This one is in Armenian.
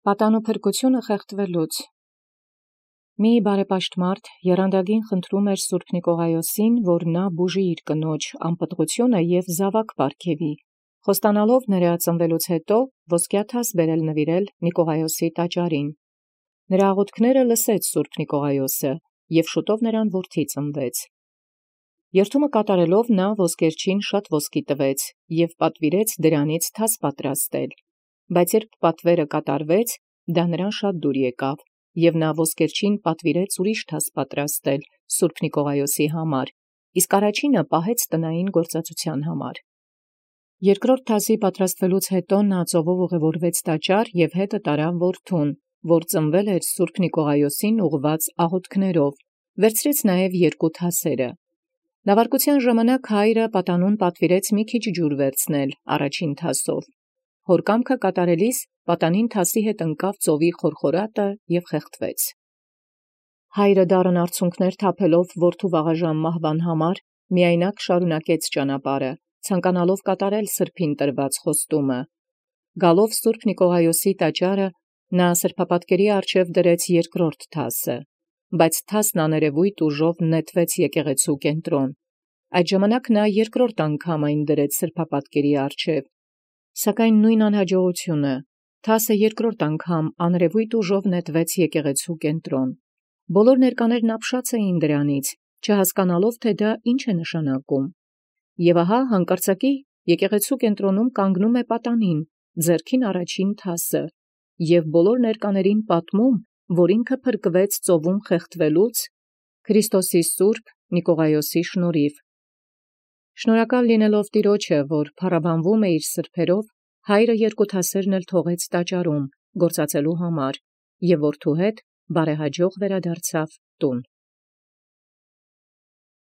Պատանու փրկութիւնը խեղդելուց։ Մի բարեպաշտմարդ եռանդագին խնդրում էր Սուրբ Նիկողայոսին, որ նա բուժի իր կնոջ անպտղութիւնը և զաւակ պարգևի, խոստանալով նրա ծնվելուց հետո ոսկյա թաս բերել նվիրել Նիկողայոսի տաճարին։ Նրա աղոթքները լսեց Սուրբ Նիկողայոսը, և շուտով նրան որդի ծնվեց։ Երթումը կատարելով նա ոսկերչին շատ ոսկի տվեց և պատվիրեց դրանից թաս պատրաստել, բայց երբ պատվերը կատարվեց, դա նրան շատ դուր եկավ, և նա ոսկերչին պատվիրեց ուրիշ թաս պատրաստել Սուրբ Նիկողայոսի համար, իսկ առաջինը պահեց տնային գործածութեան համար։ Երկրորդ թասի պատրաստվելուց հետո նա ծովով ուղևորվեց տաճար և հետը տարավ որդուն, որ ծնվել էր Սուրբ Նիկողայոսին ուղղված աղոթքներով, վերցրեց նաև երկու թասերը։ Նավարկության ժամանակ հայրը պատանուն պատվիրեց մի քիչ ջուր վերցնել առաջին թասով։ Հոր կամքը կատարելիս պատանին թասի հետ ընկավ ծովի խորխորատը և խեղդվեց։ Հայրը դառն արցունքներ թափելով որդու վաղաժամ մահվան համար, միայնակ շարունակեց ճանապարհը, ցանկանալով կատարել սրբին տրված խոստումը։ Գալով Սուրբ Նիկողայոսի տաճարը, նա սրբապատկերի առջև դրեց երկրորդ թասը, բայց թասն աներևույթ ուժով նետվեց եկեղեցու կենտրոն։ Այդ ժամանակ նա երկրորդ անգամ այն դրեց սրբապատկերի առջև, սակայն նույն անհաջողությունը, թասը երկրորդ անգամ աներևույթ ուժով նետվեց եկեղեցու կենտրոն։ Բոլոր ներկաներն ապշած էին դրանից, չհասկանալով թե դա ինչ է նշանակում։ Եւ ահա հանկարծակի եկեղեցու կենտրոնում կանգնում է պատանին, ձեռքին առաջին թասը, և բոլոր ներկաներին պատմում, որ ինքը փրկվեց ծովում խեղդվելուց Քրիստոսի սուրբ Նիկողայոսի շնորհիվ։ Շնորհակալ լինելով Տիրոջը, որ փառաբանվում է իր սրբերով, հայրը երկու թասերն էլ թողեց տաճարում գործածելու համար, և որդու հետ բարեհաջող վերադարձավ տուն։